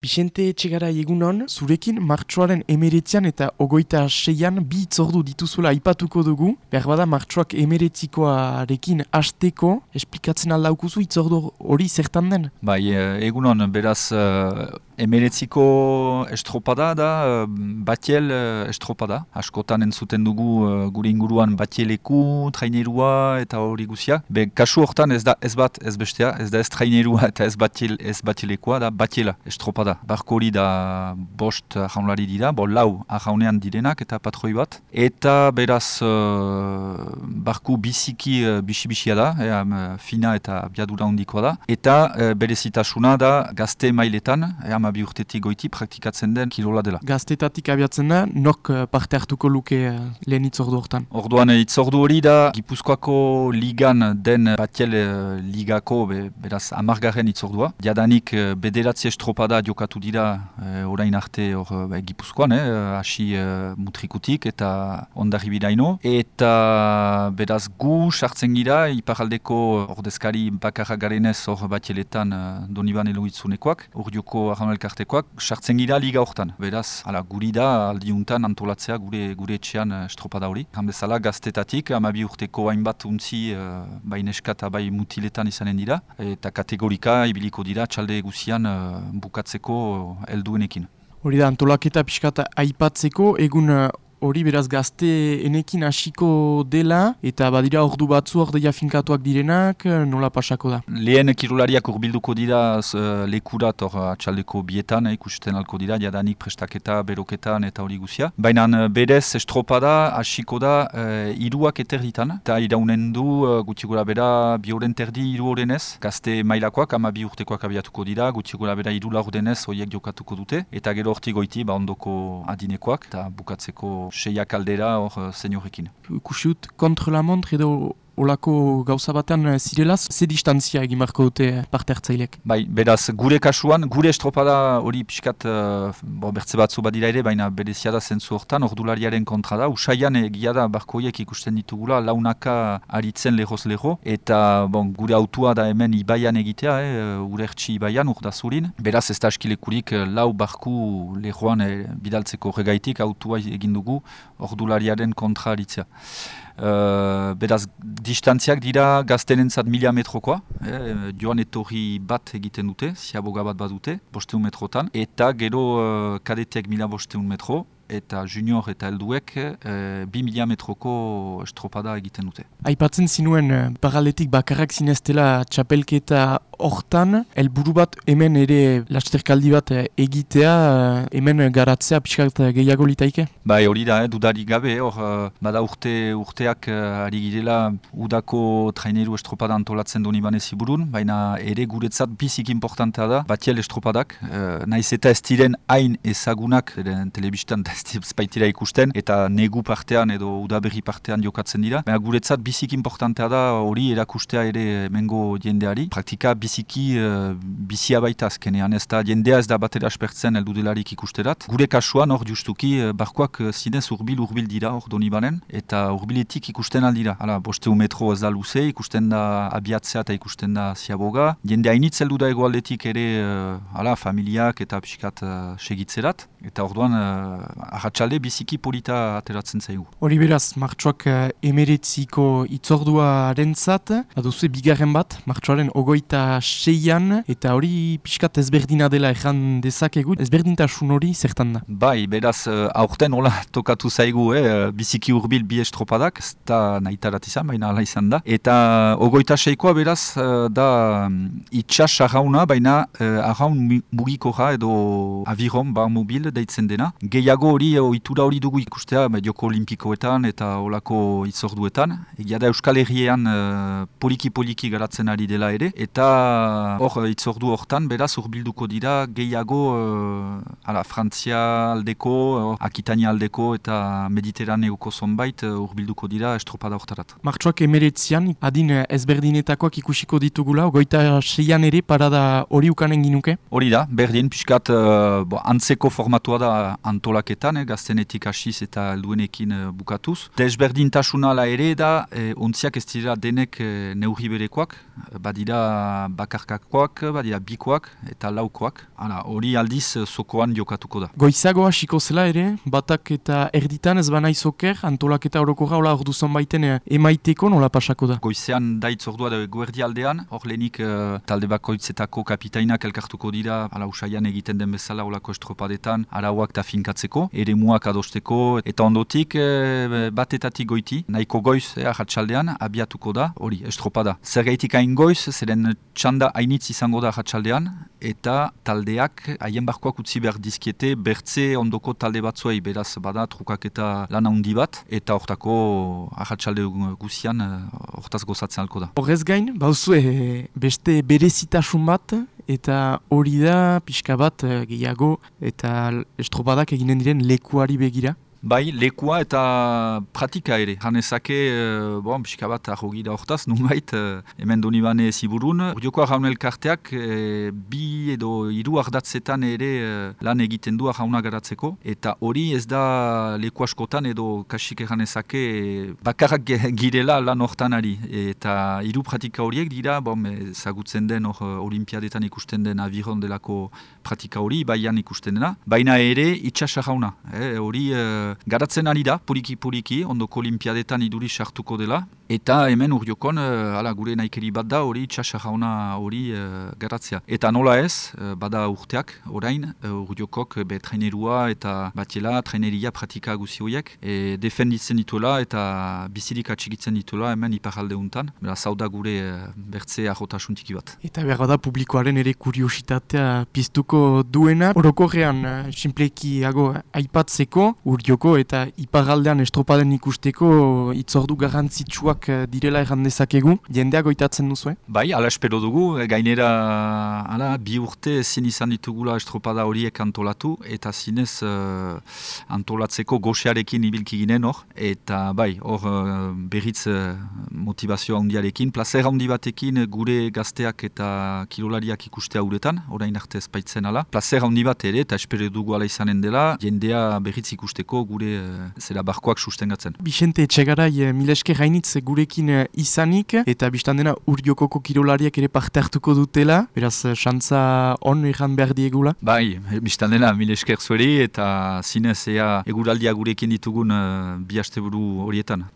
Bixente Etxegarai egunon, zurekin martxoaren 19 eta 26an bi hitzordu dituzula aipatuko dugu. Berbada martxoak 19koarekin hasteko, esplikatzen aldaukuzu hitzordu hori zertan den? Bai, egunon, beraz, 19ko estropada da, batiel estropada. Askotan entzuten dugu gure inguruan batieleku, trainerua eta hori guzia. Kasu hortan ez da ez bat ez bestea, ez da ez trainerua eta ez batielekoa, da batiela estropada. Barko hori da bost jaunlari dira, lau jaunean direnak eta patroi bat. Eta beraz, barku biziki bisi-bisia da, fina eta biadura handikoa da. Eta berezitasuna da gazte mailetan, bi urtetik goiti praktikatzen den kirola dela. Gaztetatik abiatzen da, nok parte hartuko luke lehen hitzordu hortan? Orduan hitzordu hori da, Gipuzkoako ligan den batiel ligako, beraz, 10. hitzordua. Jadanik bederatzi estropada jokatu dira orain arte Gipuzkoan, hasi mutrikutik eta ondarribiraino. Eta beraz gu sartzen gira, iparaldeko ordezkari bakarra garenez hor batieletan Doniban Eloitzunekoak, urdioko elkartekoak, sartzen gira liga hortan. Beraz, guri da aldiuntan antolatzea gure etxean estropada hori. Bezala gaztetatik, 12 urteko hainbat untzi bai neska eta bai mutiletan izanen dira. Eta kategorika ibiliko dira txalde guzian bukatzeko helduenekin. Hori da, antolaketa pixkat aipatzeko, egun hori beraz gazteenekin hasiko dela, eta badira ordu batzu ordeia finkatuak direnak, nola pasako da? Lehen kirolariak urbilduko dira lekurat atxaldeko bietan, ikusten alko dira, jadanik prestaketa, beroketan eta hori guzia. Baina berez estropada hasiko da hiruak eterditan, eta iraunen du gutxi gora bera 2 horen terdi 3 horenez, gazte mailakoak 12 urtekoak abiatuko dira, gutxi gora bera 3 laurdenez horiek jokatuko dute, eta gero horti goiti ondoko adinekoak, eta bukatzeko 6 kaldera hor seniorekin. Kusiut, kontra la montre edo olako gauza batean zirela, ze distantzia egin marko dute parte hartzailek? Bai, beraz, gure kasuan, gure estropada hori pixkat bertze batzu badira ere, baina berezia da zentzu hortan, ordulariaren kontra da. Usaian egia da barkoiek ikusten ditugula, launaka aritzen lehoz-leho, eta gure autua da hemen ibaian egitea, urertsi ibaian, urdazurin. Beraz, ez da askilekurik lau barku lehoan bidaltzeko regaitik autua egin dugu ordulariaren kontra aritzea. Beraz, distantziak dira gaztenentzat 1000 metrokoa, joan etorri bat egiten dute, ziaboga bat badute, 500 metrotan, eta gero kadeteak 1500 metro, eta junior eta helduek 2000 metroko estropada egiten dute. Aipatzen zinuen paraletik bakarrak zineztela txapelketa hortan, helburu bat hemen ere lasterkaldi bat egitea, hemen garatzea pixkat gehiago litaike? Bai, hori da, dudarik gabe, hor bada urteak ari girela udako traineru estropada antolatzen Doniban Eziburun, baina ere guretzat bizik importantea da, batiel estropadak, naiz eta ez diren hain ezagunak, telebistan ez baitira ikusten, eta negu partean edo udaberri partean jokatzen dira. Baina guretzat bizik importantea da hori erakustea ere mengo jendeari. Praktika biziki bizia baita azkenean, ez da jendea ez da batera aspertzen heldu delarik ikusterat. Gure kasuan hor justuki barkoak zinez urbil dira hor Donibanen, eta urbiletik ikusten aldira. 500 metro ez da luze, ikusten da abiatzea eta ikusten da ziaboga. Jende hainitz heldu da egoaldetik ere familiak eta pixkat segitzerat. Eta orduan arratsalde biziki polita ateratzen zaigu. Hori beraz, martxoak 19ko hitzorduarentzat, baduzu bigarren bat, martxoaren 26an, eta hori pixkat ezberdina dela erran dezakegu, ezberdintasun hori zertan da? Bai, beraz, aurten hola tokatu zaigu, biziki urbil bi estropadak, ez da nahitarat izan, baina ala izan da. Eta 26koa beraz, da itxas arrauna, baina arraun mugikora edo aviron, bar mobil deitzen dena. Gehiago hori, ohitura hori dugu ikustea, joko olimpikoetan eta olako hitzorduetan. Egia da Euskal Herriean poliki-poliki garatzen ari dela ere. Eta hor hitzordu hortan, beraz, urbilduko dira gehiago Frantzia aldeko, Akitania aldeko eta Mediterraneoko zonbait urbilduko dira estropada hortarat. Martxoak 19an, adin ezberdinetakoak ikusiko ditugula, 26an ere parada hori ukanen ginuke? Hori da, berdin, pixkat antzeko formatua da antolaketan, gaztenetik hasiz eta helduenekin bukatuz. Desberdintasuna ere da, ontziak ez dira denek neurri berekoak, badira bakarkakoak, badira bikoak eta laukoak. Hala, hori aldiz zokoan jokatuko da. Goizago hasiko zela ere, batak eta erditan ez banai zoker, antolaketa orokorra hola ordu zonbaiten emaiteko nola pasako da? Goizean daitz ordua da guerdi aldean, hor lehenik talde bakoitzetako kapitainak elkartuko dira, ala usaian egiten den bezala olako estropadetan, arauak eta finkatzeko, ere muak adosteko, eta ondotik batetatik goiti, nahiko goiz ahatsaldean abiatuko da, hori, estropada. Zergaitik hain goiz, zeren txanda hainitz izango da ahatsaldean, eta taldeak haien barkoak utzi behar dizkiete bertze ondoko talde batzuei, beraz bada trukak eta lan handi bat, eta hortako ahatsalde guzian hortaz gozatzen alko da. Horrez gain, bauzue beste berezitasun bat, eta hori da pixka bat gehiago eta estropadak eginen diren lekuari begira. Bai, lekua eta pratika ere. Hanezake, pixka bat ahogi da hortaz, nunbait, hemen Donibane ziburun. Urdioko Arraun Elkarteak bi edo hiru ardatzetan ere lan egiten du arrauna garatzeko. Eta hori ez da leku askotan edo kasik hanezake bakarrak girela lan hortan ari. Eta hiru pratika horiek dira, ezagutzen den olimpiadetan ikusten den aviron delako pratika hori, baian ikusten dena. Baina ere itxas arrauna. Hori garatzen ari da, puriki, ondoko olimpiadetan iduri sartuko dela. Eta hemen Urdiokon, gure naikeri bat da, hori txasarrauna hori garatzea. Eta nola ez, bada urteak, orain, Urdiokok trainerua eta batiela, traineria pratika guzi horiek, defenditzen dituela eta bizirik atxigitzen dituela hemen iparalde untan. Beraz, hau da gure bertze ahotasuntiki bat. Eta behar da publikoaren ere kuriositatea piztuko duena. Orokorrean, sinplekiago aipatzeko, Urdioko eta iparraldean estropaden ikusteko itzordu garrantzitsuak direla erran dezakegu. Jendeak goitatzen duzu, Bai, ala espero dugu. Gainera, bi urte ezin izan ditugula estropada horiek antolatu, eta zinez antolatzeko goxearekin ibilki ginen hor. Eta bai, hor berriz motivazioa handiarekin, plazer handi batekin gure gazteak eta kirolariak ikustea uretan, orain arte ezpaitzen ala. Plazer handi bat ere, eta espero dugu ala izanen dela, jendea berriz ikusteko gure zera barkoak sustengatzen. Bixente Etxegarai, mileske gainitz gurekin izanik, eta biztan dena Urdiokoko kirolariak ere parte hartuko dutela, beraz, xantza on egan behar diegula? Bai, biztan dena milesker zueri, eta zinez eguraldia gurekin ditugun bi asteburu horietan.